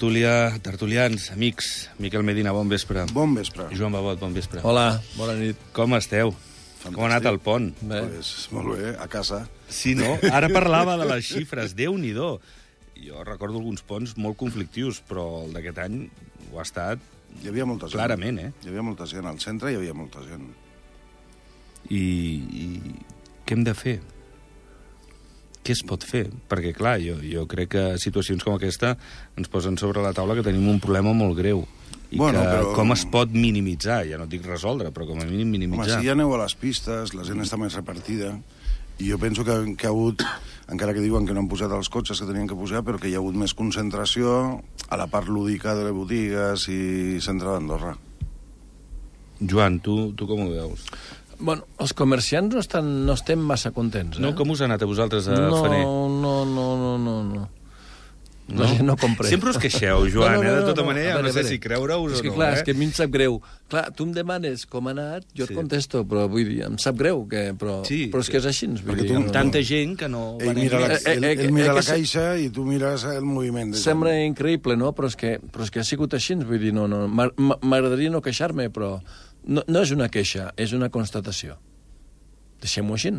tertulians, amics. Miquel Medina, bon vespre. Bon vespre. Joan Babot, bon vespre. Hola, bona nit. Com esteu? Fantàstic. Com ha anat el pont? Pues, molt bé, a casa. Sí, no? Ara parlava de les xifres, Déu-n'hi-do. Jo recordo alguns ponts molt conflictius, però el d'aquest any ho ha estat Hi havia molta gent. clarament, Hi havia molta gent. Al centre hi havia molta gent. I què hem de fer? Què es pot fer? Perquè, clar, jo crec que situacions com aquesta ens posen sobre la taula que tenim un problema molt greu. I però com es pot minimitzar? Ja no et dic resoldre, però com a mínim minimitzar. Home, si ja aneu a les pistes, la gent està més repartida, i jo penso que ha hagut, encara que diuen que no han posat els cotxes que tenien que posar, però que hi ha hagut més concentració a la part lúdica de les botigues i centre d'Andorra. Joan, tu com ho veus? Bueno, els comerciants no estem massa contents, No, com us ha anat a vosaltres a Fener? No. La gent no compra. Sempre us queixeu, Joan, de tota manera, no sé si creure-us o no. És que, clar, és que a mi em sap greu. Clar, tu em demanes com ha anat, jo et contesto, però vull dir, em sap greu, però és que és així. Perquè tu tanta gent que no... Ell mira la caixa i tu mires el moviment. Sembla increïble, no? Però és que ha sigut així, vull dir, no. M'agradaria no queixar-me, però no és una queixa, és una constatació. Deixem-ho així.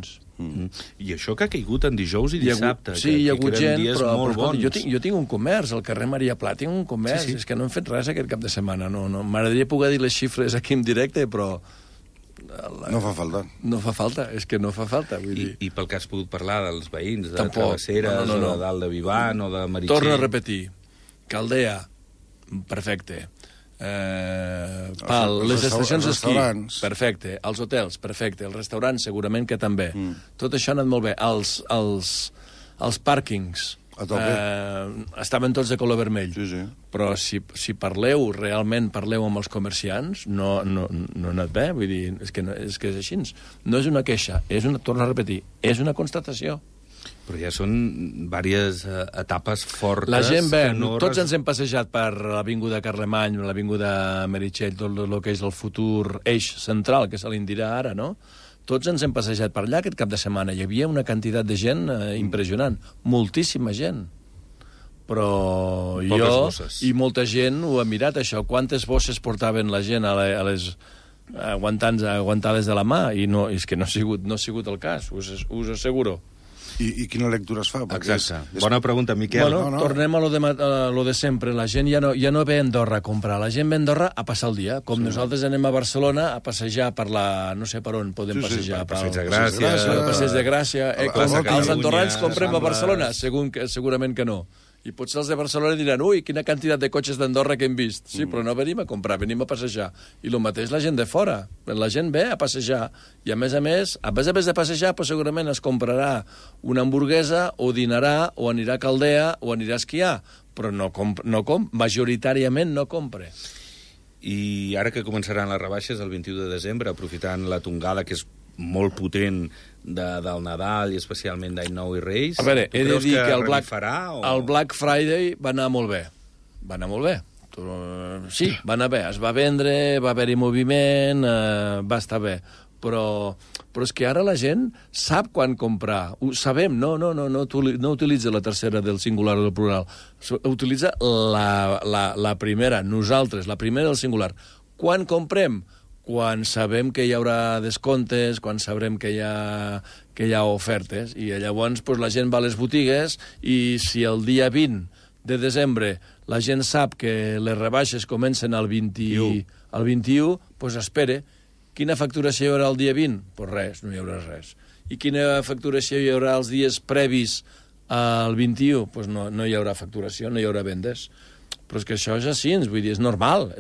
I això que ha caigut en dijous i dissabte, sí, hi ha hagut gent, però molt bons. Jo tinc un comerç, al carrer Maria Pla, tinc un comerç, és que no hem fet res aquest cap de setmana. M'agradaria poder dir les xifres aquí en directe, però... No fa falta. No fa falta, és que no fa falta, vull dir. I pel que has pogut parlar dels veïns, de Travesseres, o de dalt de Vivan, o de Meritxell... Torno a repetir. Caldea, perfecte. Les estacions d'esquí, perfecte. Els hotels, perfecte. Els restaurants, segurament que també. Tot això ha anat molt bé. Els pàrquings estaven tots de color vermell. Sí. Però si realment parleu amb els comerciants, no ha anat bé. Vull dir, és que és així. No és una queixa, torno a repetir, és una constatació. Però ja són diverses etapes fortes... La gent ve, tots ens hem passejat per l'Avinguda Carlemany, l'Avinguda Meritxell, tot el que és el futur eix central, que se li en dirà ara, no? Tots ens hem passejat per allà aquest cap de setmana. Hi havia una quantitat de gent impressionant. Moltíssima gent. Però i molta gent ho ha mirat, això. Quantes bosses portaven la gent aguantades de la mà? I és que no ha sigut el cas, us asseguro. I quina lectura es fa? Exacte. Bona pregunta, Miquel. Bueno, tornem a lo de sempre. La gent ja no ve a Andorra a comprar. La gent ve a Andorra a passar el dia. Com nosaltres anem a Barcelona a passejar per no sé per on podem passejar. Per Passeig de Gràcia. Per Passeig de Gràcia. Els andorrans comprem a Barcelona? Segurament que no. I potser els de Barcelona diran, ui, quina quantitat de cotxes d'Andorra que hem vist. Sí, però no venim a comprar, venim a passejar. I el mateix la gent de fora. La gent ve a passejar. I a més de passejar, doncs segurament es comprarà una hamburguesa, o dinarà, o anirà a Caldea, o anirà a esquiar. Però majoritàriament no compra. I ara que començaran les rebaixes el 21 de desembre, aprofitant la tongada, que és molt potent del Nadal i especialment d'Any Nou i Reis... A veure, he de dir que el Black Friday va anar molt bé. Va anar molt bé. Sí, va anar bé. Es va vendre, va haver-hi moviment, va estar bé. Però és que ara la gent sap quan comprar. Ho sabem, no utilitza la tercera del singular o del plural. Utilitza la primera, nosaltres, la primera del singular. Quan comprem? Quan sabem que hi haurà descomptes, quan sabrem que hi ha ofertes, i llavors la gent va a les botigues, i si el dia 20 de desembre la gent sap que les rebaixes comencen el 21, doncs espere. Quina facturació hi haurà el dia 20? Doncs res, no hi haurà res. I quina facturació hi haurà els dies previs al 21? Doncs no hi haurà facturació, no hi haurà vendes. Però és que això és així, vull dir, és normal.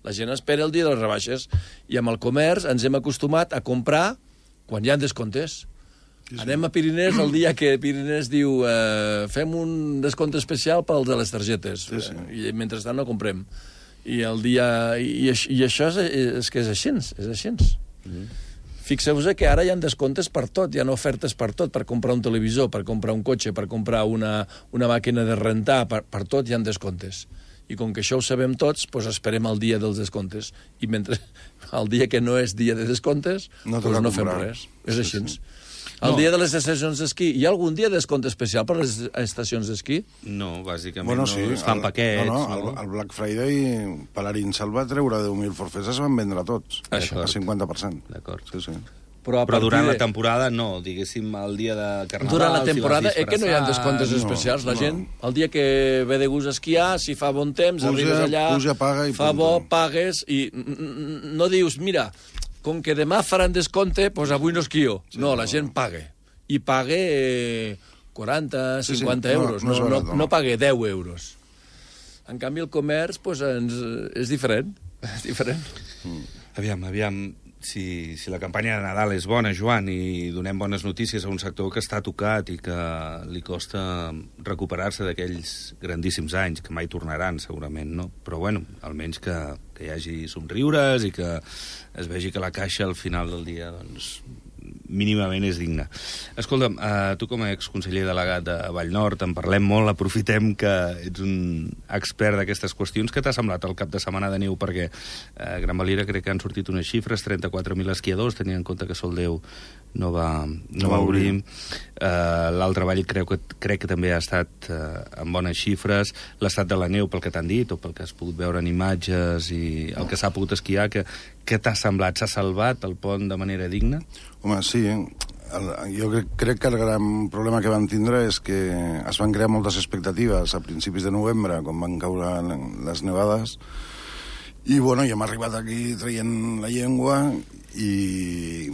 La gent espera el dia de les rebaixes, i amb el comerç ens hem acostumat a comprar quan hi ha descomptes. Anem a Pirineus el dia que Pirineus diu fem un descompte especial pels de les targetes, i mentrestant no comprem. I això és que és així. Fixeu-vos que ara hi ha descomptes per tot, hi ha ofertes per tot, per comprar un televisor, per comprar un cotxe, per comprar una màquina de rentar, per tot hi ha descomptes. I com que això ho sabem tots, doncs esperem el dia dels descomptes. I mentre el dia que no és dia de descomptes, doncs no fem res. És així. El dia de les estacions d'esquí, hi ha algun dia de descompte especial per les estacions d'esquí? No, bàsicament es fan paquets. El Black Friday, Palarinsal va treure 10.000 forfets, es van vendre tots, a 50%. D'acord. Sí. Però durant la temporada no, diguéssim, el dia de Carnaval... Durant la temporada, que no hi ha descomptes especials. La gent, el dia que ve de gust a esquiar, si fa bon temps, arribes allà, paga i fa bo, pagues, i no dius, mira, com que demà faran descompte, doncs avui no esquio. No, la gent paga. I paga 40, 50 euros, no paga 10 euros. En canvi, el comerç és diferent. És diferent. Aviam, si la campanya de Nadal és bona, Joan, i donem bones notícies a un sector que està tocat i que li costa recuperar-se d'aquells grandíssims anys, que mai tornaran, segurament, no? Però, bueno, almenys que hi hagi somriures i que es vegi que la caixa al final del dia, doncs, mínimament és digna. Escolta'm, tu com a exconseller delegat de Vallnord en parlem molt, aprofitem que ets un expert d'aquestes qüestions. Què t'ha semblat el cap de setmana de neu? Perquè a Gran Valira crec que han sortit unes xifres, 34.000 esquiadors, tenint en compte que Soldeu no va obrir. L'altre Vall crec que també ha estat amb bones xifres. L'estat de la neu, pel que t'han dit, o pel que has pogut veure en imatges i el que s'ha pogut esquiar, què t'ha semblat? S'ha salvat el pont de manera digna? Home, sí. Jo crec que el gran problema que van tindre és que es van crear moltes expectatives a principis de novembre, quan van caure les nevades, i bueno, ja hem arribat aquí traient la llengua,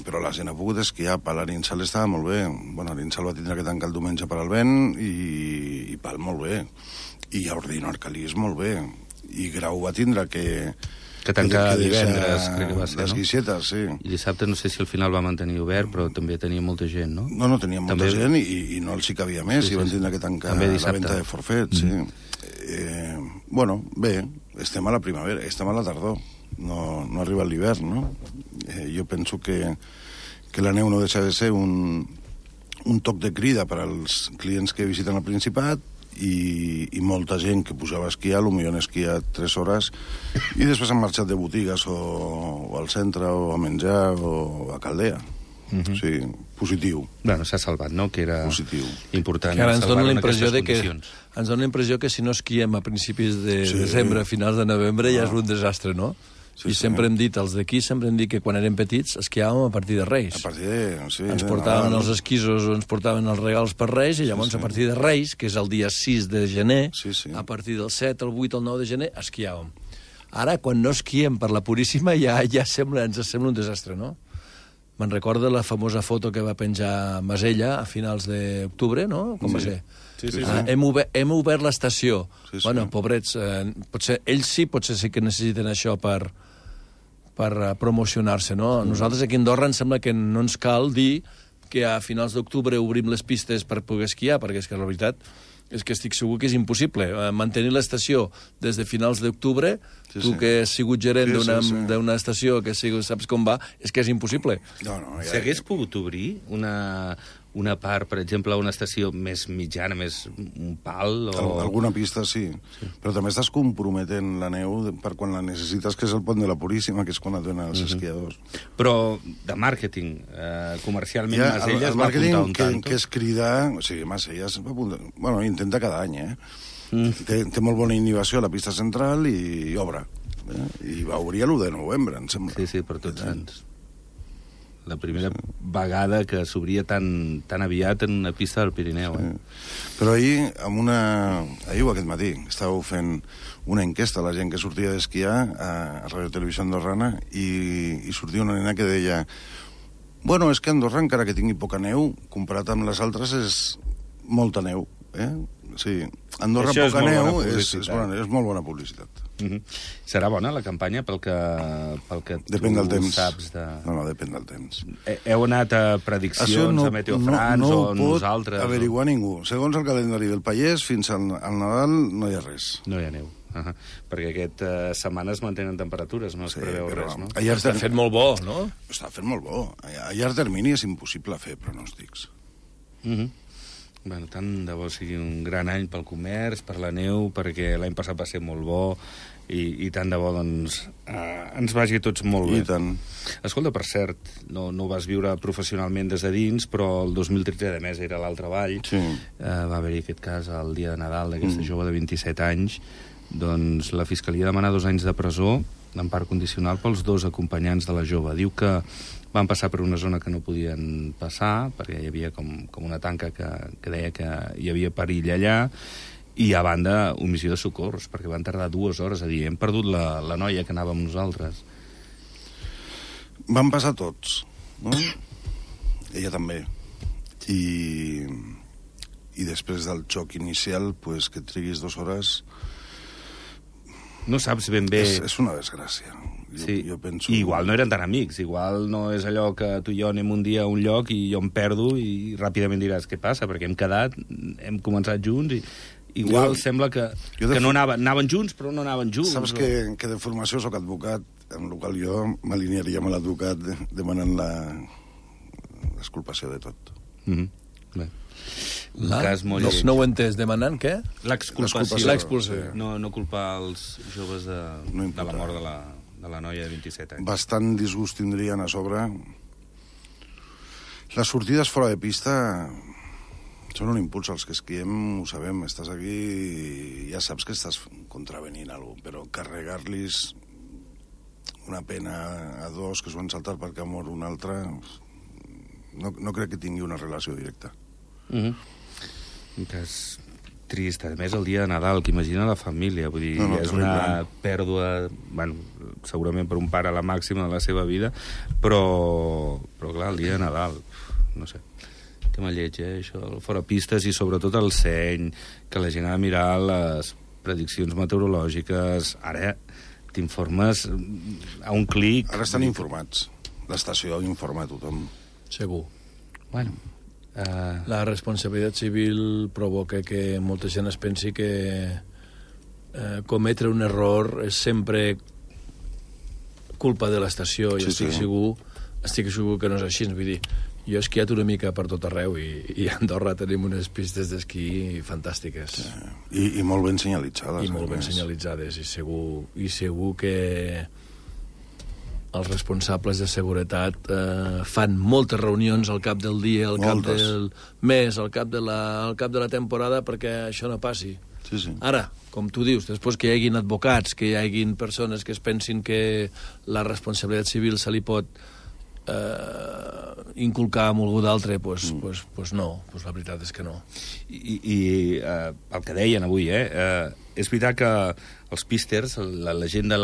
però la gent ha pogut esquiar. L'Arinsal estava molt bé. Bueno, l'Arinsal va tindre que tancar el diumenge per al vent, i Pal molt bé. I Ordino Arcalís molt bé. I Grau va tindre que tancar divendres, crec que va ser, les guixetes, sí. I dissabte no sé si al final va mantenir obert, però també tenia molta gent, no? No, tenia molta gent i no els hi cabia més, i van tindre que tancar la venda de forfets, sí. Bueno, bé, estem a la primavera, estem a la tardor, no arriba l'hivern, no? Jo penso que la neu no deixa de ser un toc de crida per als clients que visiten el Principat, i molta gent que pujava a esquiar, potser han esquiat 3 hores i després han marxat de botigues o al centre o a menjar o a Caldea. O sigui, positiu. Bueno, s'ha salvat, no? Que era important. Que ara ens dona la impressió que si no esquiem a principis de desembre, a finals de novembre, ja és un desastre, no? I sempre hem dit, els d'aquí sempre hem dit que quan érem petits esquiàvem a partir de Reis. A partir de... Sí, ens portaven els esquisos o ens portaven els regals per Reis, i llavors a partir de Reis, que és el dia 6 de gener, a partir del 7, el 8, el 9 de gener, esquiàvem. Ara, quan no esquiem per la Puríssima, ja ens sembla un desastre, no? Me'n recorda la famosa foto que va penjar Masella a finals d'octubre, no? Com va ser? Sí. Hem obert l'estació. Bueno, pobrets, ells potser sí que necessiten això per promocionar-se, no? Nosaltres aquí a Andorra em sembla que no ens cal dir que a finals d'octubre obrim les pistes per poder esquiar, perquè és que la veritat és que estic segur que és impossible. Mantenir l'estació des de finals d'octubre, tu que has sigut gerent d'una estació, que saps com va, és que és impossible. S'hagués pogut obrir una part, per exemple, una estació més mitjana, més un pal? Alguna pista, sí. Però també estàs comprometent la neu per quan la necessites, que és el pont de la Puríssima, que és quan et donen els esquiadors. Però de màrqueting, comercialment, Masella es va apuntar un tanto. Que és cridar... O sigui, Masella es va apuntar... Bueno, intenta cada any, Té molt bona innovació a la pista central i obre. I va obrir l'1 de novembre, em sembla. Sí, per tots Sants. La primera vegada que s'obria tan aviat en una pista del Pirineu. Però ahir o aquest matí, estàveu fent una enquesta a la gent que sortia d'esquiar a Radio Televisió Andorrana i sortia una nena que deia bueno, és que Andorra, encara que tingui poca neu, comparat amb les altres, és molta neu. Sí, Andorra poca neu és molt bona publicitat. Serà bona la campanya pel que depèn del temps. Saps No, depèn del temps. Heu anat a prediccions a Meteo France o nosaltres? No ho pot averiguar ningú. Segons el calendari del Pallès, fins al Nadal no hi ha res. No hi ha neu. Perquè aquesta setmana es mantenen temperatures, no es preveu res, no? Està fent molt bo, no? Està fent molt bo. A llarg termini és impossible fer pronòstics. Bueno, tant de bo sigui un gran any pel comerç, per la neu, perquè l'any passat va ser molt bo i tant de bo, doncs, ens vagi a tots molt bé. I tant. Escolta, per cert, no ho vas viure professionalment des de dins, però el 2013, a més, era a l'altre vall. Sí. Va haver-hi aquest cas el dia de Nadal d'aquesta jove de 27 anys. Doncs la Fiscalia demana 2 anys de presó d'empara condicional pels 2 acompanyants de la jove. Diu que van passar per una zona que no podien passar, perquè hi havia com una tanca que deia que hi havia perill allà, i a banda, omissió de socors, perquè van tardar 2 hores a dir hem perdut la noia que anava amb nosaltres. Van passar tots, no? Ella també. I després del xoc inicial, pues, que triguis 2 hores... No saps ben bé... És una desgràcia. Jo penso... I igual no eren tan amics, igual no és allò que tu i jo anem un dia a un lloc i jo em perdo i ràpidament diràs què passa, perquè hem quedat, hem començat junts i igual sembla que no anaven junts, però no anaven junts. Saps que de formació soc advocat, amb el qual jo m'alinearia amb l'advocat demanant l'exculpació de tot. Bé. Un cas molt lleig. No ho he entès. Demanant què? L'expulsió. No culpar els joves de la mort de la noia de 27 anys. Bastant disgust tindrien a sobre. Les sortides fora de pista són un impuls. Els que esquiem ho sabem. Estàs aquí i ja saps que estàs contravenint alguna cosa, però carregar-los una pena a 2 que s'ho han saltat perquè ha mort un altre no crec que tingui una relació directa. Un cas trist, a més el dia de Nadal, que imagina la família, vull dir, és una pèrdua, bueno, segurament per un pare a la màxima de la seva vida, però clar, el dia de Nadal, no sé, tema lleig, això, fora pistes i sobretot el seny, que la gent ha de mirar les prediccions meteorològiques, ara t'informes a un clic... Ara estan informats, l'estació informa a tothom. Segur. Bueno... La responsabilitat civil provoca que molta gent es pensi que cometre un error és sempre culpa de l'estació i estic segur que no és així. Vull dir, jo he esquiat una mica per tot arreu i a Andorra tenim unes pistes d'esquí fantàstiques. I molt ben senyalitzades. I molt ben senyalitzades i segur que els responsables de seguretat fan moltes reunions al cap del dia, al cap del mes, al cap de la temporada perquè això no passi. Sí. Ara, com tu dius, després que hi haguin advocats, que hi haguin persones que es pensin que la responsabilitat civil se li pot inculcar amb algú d'altre, pues no, la veritat és que no. I el que deien avui, és veritat que els písters, la gent de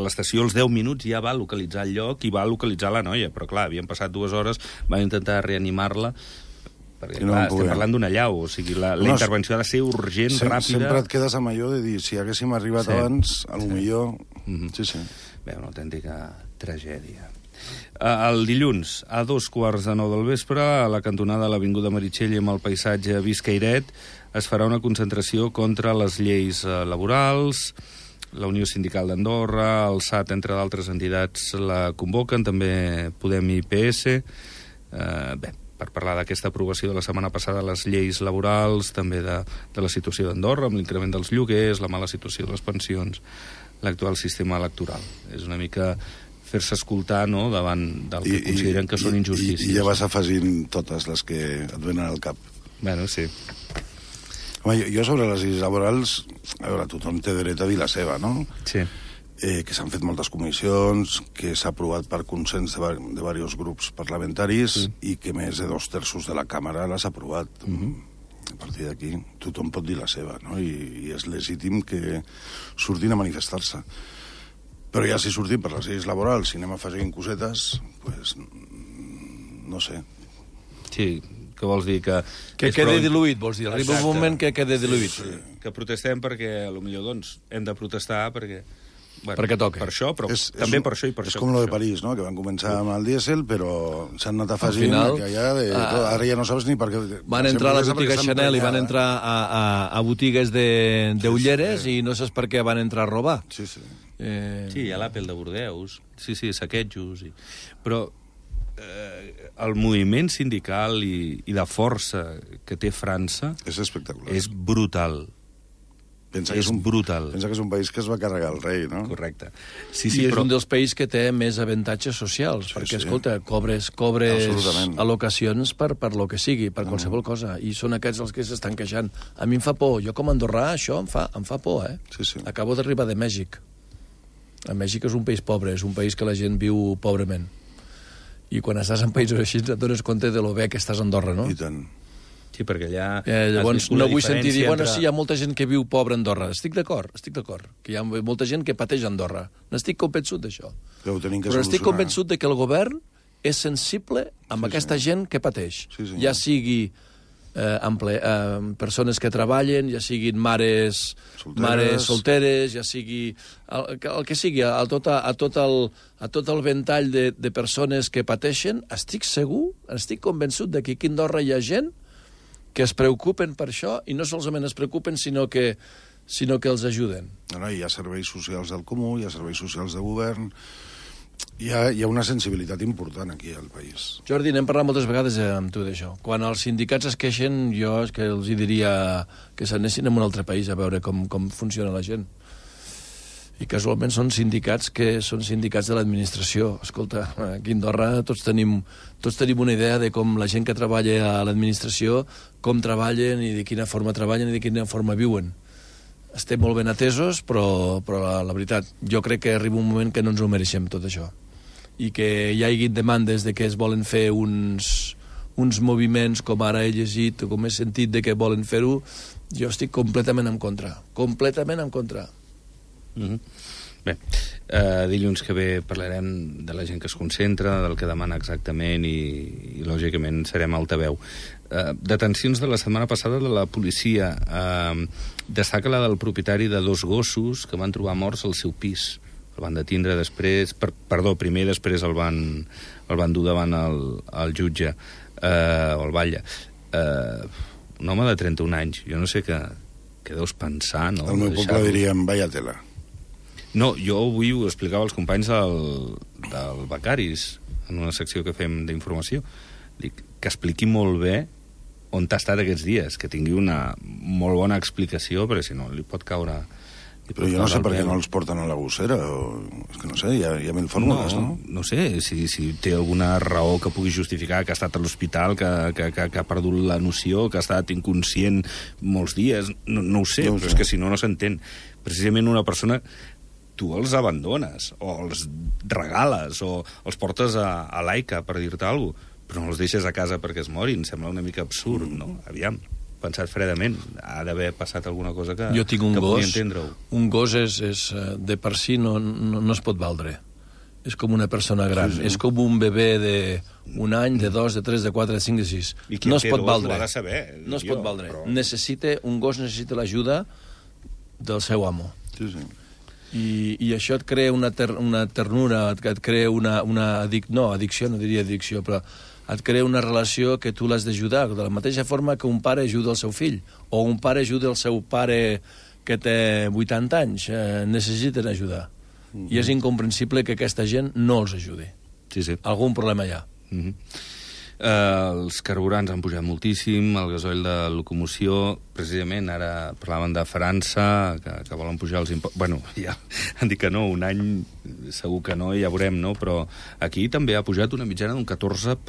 l'estació, als 10 minuts ja va localitzar el lloc i va localitzar la noia, però clar, havien passat 2 hores, van intentar reanimar-la, perquè clar, estem parlant d'una allau, o sigui, la intervenció ha de ser urgent, ràpida... Sempre et quedes amb allò de dir, si haguéssim arribat abans, potser... Sí. Bé, una autèntica tragèdia. El dilluns, a 2:15 del vespre, a la cantonada de l'Avinguda Meritxell i amb el paisatge Biscairet, es farà una concentració contra les lleis laborals. La Unió Sindical d'Andorra, el SAT, entre d'altres entitats, la convoquen, també Podem i PS. Per parlar d'aquesta aprovació de la setmana passada, les lleis laborals, també de la situació d'Andorra, amb l'increment dels lloguers, la mala situació de les pensions, l'actual sistema electoral. És una mica fer-se escoltar, no?, davant del que consideren que són injustícies. I ja vas afegint totes les que et venen al cap. Bueno, sí. Home, jo sobre les lleis laborals, a veure, tothom té dret a dir la seva, no? Sí. Que s'han fet moltes comissions, que s'ha aprovat per consens de diversos grups parlamentaris i que més de 2/3 de la càmera l'has aprovat. A partir d'aquí, tothom pot dir la seva, no? I és legítim que surtin a manifestar-se. Però ja si sortim per les lleis laborals, si anem afegint cosetes, pues, no sé. Sí, què vols dir? Que quede diluït, vols dir. Arriba un moment que quede diluït. Sí. Que protestem perquè, potser, doncs, hem de protestar perquè... Bueno, perquè toca. Per això, però també per això i per això. És com lo de París, no?, que van començar amb el dièsel, però s'han anat afegint que ara ja no saps ni per què... Van entrar a la botiga Chanel i van entrar a botigues d'ulleres i no saps per què van entrar a robar. Sí. Sí, a l'Apple de Bordeus, sí, saquejos. Però el moviment sindical i de força que té França és espectacular. És brutal. És brutal. Pensa que és un país que es va carregar el rei, no? Correcte. Sí, és un dels països que té més avantatges socials, perquè, escolta, cobres al·locacions per lo que sigui, per qualsevol cosa, i són aquests els que s'estan queixant. A mi em fa por, jo com a andorrà, això em fa por, eh? Sí. Acabo d'arribar de Mèxic. Mèxic és un país pobre, és un país que la gent viu pobrement. I quan estàs en països així et dones compte de lo bé que estàs a Andorra, no? I tant. Sí, perquè allà... Llavors no vull sentir dir, bueno, sí, hi ha molta gent que viu pobre a Andorra. Estic d'acord, que hi ha molta gent que pateix a Andorra. N'estic convençut d'això. Però estic convençut de que el govern és sensible amb aquesta gent que pateix. Ja sigui persones que treballen, ja siguin mares solteres, ja sigui el que sigui, a tot el ventall de persones que pateixen. Estic segur, estic convençut de que aquí a Andorra hi ha gent que es preocupen per això, i no solament es preocupen, sinó que els ajuden. No, hi ha serveis socials del comú, hi ha serveis socials de govern, hi ha una sensibilitat important aquí al país. Jordi, n'hem parlat moltes vegades amb tu d'això. Quan els sindicats es queixen, jo és que els diria que s'anessin a un altre país a veure com funciona la gent. I casualment són sindicats de l'administració. Escolta, aquí a Andorra tots tenim una idea de com la gent que treballa a l'administració, com treballen i de quina forma treballen i de quina forma viuen. Estem molt ben atesos, però la veritat, jo crec que arriba un moment que no ens ho mereixem, tot això. I que hi hagi demandes de que es volen fer uns moviments, com ara he llegit, com he sentit de que volen fer-ho, jo estic completament en contra. Completament en contra. Bé, dilluns que ve parlarem de la gent que es concentra, del que demana exactament i lògicament serem altaveu. Detencions de la setmana passada de la policia. Destaca la del propietari de 2 gossos que van trobar morts al seu pis. El van detindre després... primer i després el van dur davant el jutge, o el batlle. Un home de 31 anys. Jo no sé què deus pensar, no? Al meu poble diríem, vaya tela. No, jo avui ho explicava als companys del Becaris, en una secció que fem d'informació. Dic, que expliqui molt bé on t'ha estat aquests dies, que tingui una molt bona explicació, perquè si no li pot caure... Però jo no sé per què no els porten a la gossera, és que no sé, hi ha mil fórmules, no? No sé, si té alguna raó que pugui justificar que ha estat a l'hospital, que ha perdut la noció, que ha estat inconscient molts dies, no ho sé, però és que si no s'entén. Precisament una persona... tu els abandones, o els regales, o els portes a l'AICA, per dir-te alguna cosa, però no els deixes a casa perquè es morin. Sembla una mica absurd, no? Aviam, pensat fredament. Ha d'haver passat alguna cosa que pugui entendre-ho. Un gos és de per si no es pot valdre. És com una persona gran. És com un bebè d'un any, de 2, de 3, de 4, de 5, de 6. No es pot valdre. No es pot valdre. Un gos necessita l'ajuda del seu amo. Sí. I això et crea una ternura, et crea addicció, no diria addicció, però et crea una relació que tu l'has d'ajudar, de la mateixa forma que un pare ajuda el seu fill, o un pare ajuda el seu pare que té 80 anys, necessiten ajudar. I és incomprensible que aquesta gent no els ajudi. Sí. Algun problema hi ha. Els carburants han pujat moltíssim, el gasoil de locomoció, precisament ara parlaven de França, que volen pujar els impostos. Bueno, ja han dit que no, un any segur que no, ja veurem, no? Però aquí també ha pujat una mitjana d'un 14%,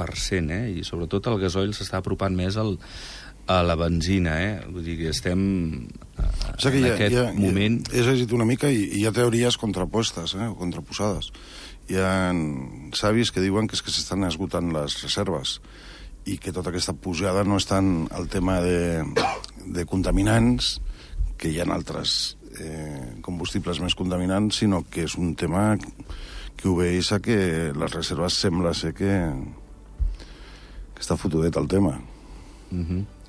i sobretot el gasoil s'està apropant més a la benzina, Vull dir que estem en aquest moment... He llegit una mica i hi ha teories contrapostes, o contraposades. Hi ha savis que diuen que és que s'estan esgotant les reserves i que tota aquesta pujada no és tant el tema de contaminants, que hi ha altres combustibles més contaminants, sinó que és un tema que obeeix a que les reserves sembla ser que està fotudet el tema.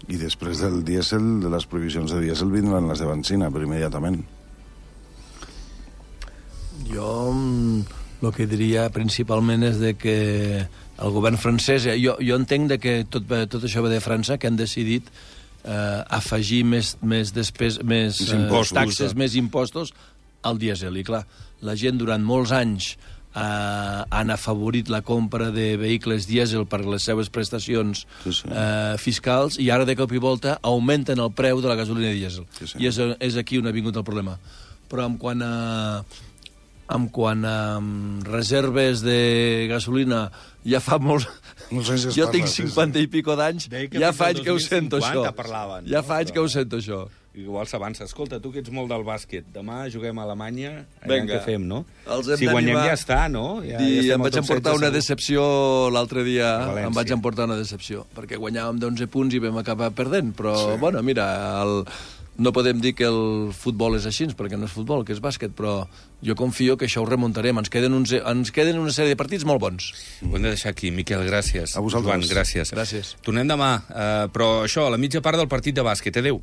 I després del dièsel, de les prohibicions de dièsel, vindran les de benzina, però immediatament. Jo... el que diria principalment és de que el govern francès... Jo entenc de que tot això ve de França, que han decidit afegir més taxes, més impostos al dièsel. I clar, la gent durant molts anys han afavorit la compra de vehicles dièsel per les seves prestacions fiscals, i ara de cop i volta augmenten el preu de la gasolina dièsel. I és aquí on ha vingut el problema. Però en quant a reserves de gasolina, ja fa molts... Jo tinc 50 i pico d'anys, ja fa anys que ho sento, això. Ja fa anys que ho sento, això. Igual s'avança. Escolta, tu que ets molt del bàsquet, demà juguem a Alemanya, què fem, no? Si guanyem ja està, no? I em vaig emportar una decepció l'altre dia, perquè guanyàvem d'11 punts i vam acabar perdent, però, bueno, mira, no podem dir que el futbol és així, perquè no és futbol, que és bàsquet, però jo confio que això ho remuntarem. Ens queden una sèrie de partits molt bons. Ho hem de deixar aquí. Miquel, gràcies. A vosaltres. Joan, gràcies. Tornem demà, però això, a la mitja part del partit de bàsquet. Adéu.